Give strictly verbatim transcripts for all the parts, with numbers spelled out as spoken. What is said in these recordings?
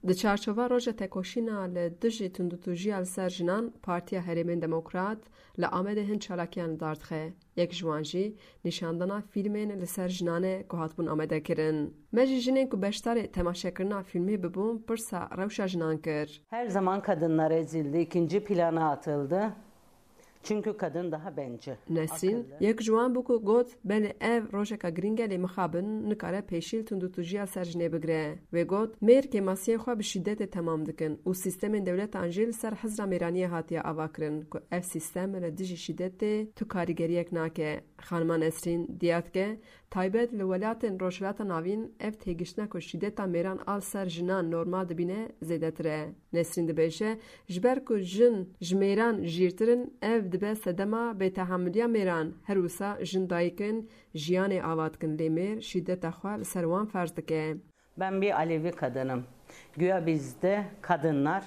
Di çarçova Roja Tekoşîna li dijî tundûtûjiya li ser jinan, Partiya Herêmên Demokrat li Amedê hin çalakiyan li dar dixe. Yek ji wan jî nîşandana fîlmên li ser jinan e ku hatibûn amadekirin. Me jî jinên ku beşdarê temaşekirina fîlmê bibûn pirsa rewşa jinan kir. Her zaman kadınlar ezildi, ikinci plana atıldı. Çünkü kadın daha bencil. Nesrîn, yek ji wan bû ku got, belê ev rojeka girîng e, lê mixabin nikare pêşî li tundûtûjiya ser jinê bigire. Wê got, mêr kêmasiyên xwe bi şîdetê temam dikin û sîstemên dewletan jî li ser hizra mêraniyê hatiye avakirin ku ev sîstem li dijî şîdetê tu karîgeriyek nake. Xanima Nesrîn diya dike, taybet li welatên Rojhilata Navîn ev têgiştina ku şîdeta mêran a li ser jinan normal dibîne zêdetir e. Nesrîn dibêje, ji ber ku jin ji mêran jîrtir in, ev dibe sedema bêtehamiliya mêran. Her wisa jin dayik in, jiyanê ava dikin, lê mêr şîdeta xwe li ser wan ferz dike. Ben bir Alevi kadınım. Güya bizde kadınlar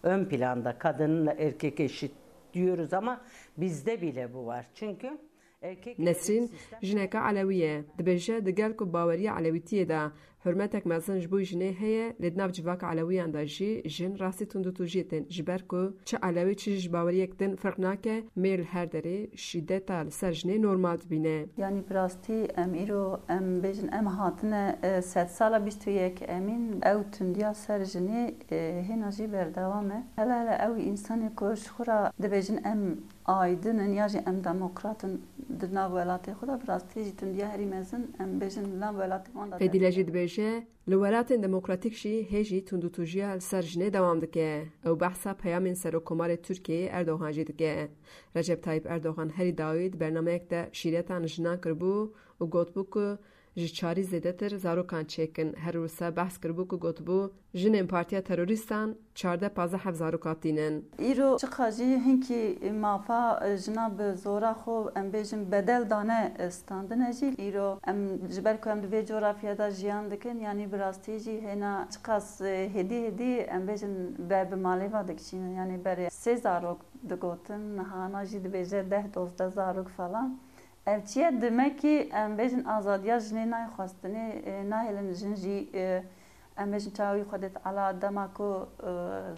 ön planda, kadınla erkek eşit diyoruz ama bizde bile bu var. Çünkü erkek Nesrîn jineke Elewî ye. Dibêje, di gel ku baweriya Elewîtiyê de hurmetek mezin ji bo jinê heye, lê di nav civaka Elewiyan de jî jin rastî tundûtûjiyê tên, ji ber ku çi Elewî çi jî ji baweriyek din ferq nake, mêr li her derê şîdeta li ser jinê normal dibîne. Yanî bi rastî em îro, em bêjin, em hatine, e, sedsala bîst û yek emîn, ew tundiya ser jinê, e, hêna jî berdewam e. Hele hele ew însanê ku ji xwe re dibêjin em aydin in ya jî em demokrat in di nav welatê xwe de, bi rastî jî tundiya herî mezin, em bêjin, li nav welatê wan de Fedîle jî dibêje, li welatên demokratîk jî hê jî tundûtûjiya li ser jinê dewam dike. Ew behsa peyamên Serokkomarê Tirkiyeyê Erdogan jî dike. Recep Tayyip Erdogan herî dawî di bernameyek de şîretan li jinan kiribû û gotibû ku ji çarî zêdetir zarokan çêkin. Her wisa behs kiribû ku gotibû, jinên partiya terorîstan çardeh pazdeh heb zaroka tînin. Îro çiqa jî hinkî mafa jina bi zora xwe, em bêjin, bedel dane standine jî. Îro em ji ber ku em di vê coğrafya de jiyan dikin, yanî bi rastî jî hêna çiqas hêdî hêdî, em bêjin, ber bi malê ve dikişînin. Yanî berê sê zarok digotin, niha na jî dibêje deh dozdeh zarok falan. Ev çi ye? Demekî, em bêjin, azadiya jinê nayê xwestinê, e, nahêlin jin jî, e, em bêjin, çawa wî Xwedê Teala dema ku, e,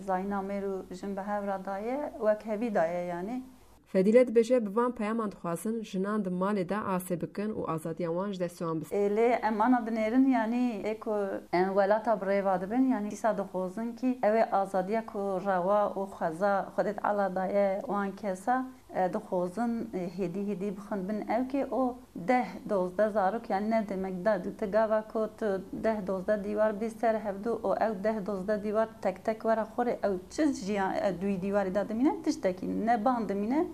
zayîna mêr û jin bi hev re daye, wek hevî daye, yanî. Fedîle dibêje, bi van peyaman dixwazin jinan di malê de asê bikin û azadiya wan ji destê wan bistînin. Ê, lê em ana dinêrin, yanî ê ku em welata bi rêva dibin, yanî dîsa dixwazin kî ew ê azadiya ku rewa û xweza Xwedê Teala daye wan kesa, e, dixwazin, e, hêdî hêdî bixin bin ewkê û deh dozdeh zarok, yanî ne demek da tu gava ku tu deh dozdeh dîwar bî ser hevdu û ew deh dozdeh dîwar tek tek were xurê, ew çi jiyan, e, duyî dîwarî da dimîne, tiştekî ne ban dimîne,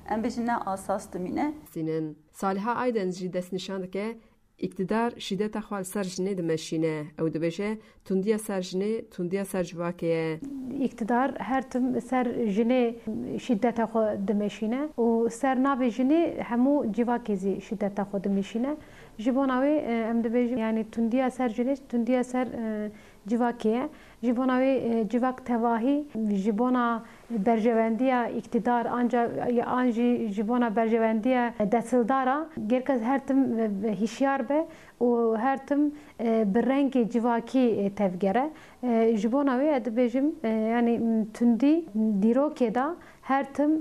em bêjin ne asas dimîne. Sînin. Saliha Aydeniz jî destnîşan dike, îktidar şîdeta xwe li ser jinê dimeşîne. Ew dibêje, tundiya ser jinê, tundiya ser civakê ye. Îktidar her tim ser jinê şîdeta xwe dimeşîne û ser navê jinê hemû civakê zî şîdeta xwe dimeşîne. Ji bona wê, e, em dibêjin, yanî tundiya ser jinê, tundiya ser, e, civakê ye. Ji bona wê, e, civak tevahî, ji bona berjewendiya îktidar, anca, an jî ji bona berjewendiya desthildara, gerek her tim, e, hişyar be û her tim, e, bi rengê civakî, e, tevgere. E, ji bona wê ez dibêjim, e, yanî, m, tundî dîrokê de her tim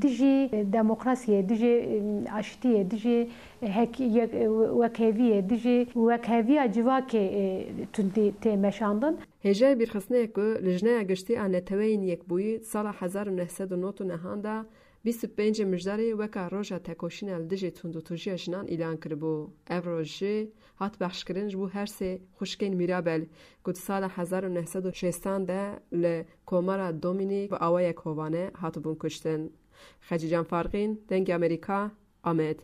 dijî demokrasiyê, dijî, e, aştiyê, dijî hek-, yek-, wekheviyê, dijî wekheviya civakê, e, tundî tê meşandin. Hêjayê bîrxistinê ye ku Lijneya Giştî a Neteweyên Yekbûyî di sala hezar û neh sed û nod û nehan de bîst û pêncê Mijdarê weka Roja Tekoşîna li dijî tundûtûjiya jinan îlan kiribû. Ev roj jî hat behşkirin ji bo her sê xwişkên Mîrabel ku di sala hezar û neh sed û şêstan de li Komara Domînîk bi awayek hovane hatibûn kuştin. Xecîcan Farqîn, Dengê Amerîka, Amed.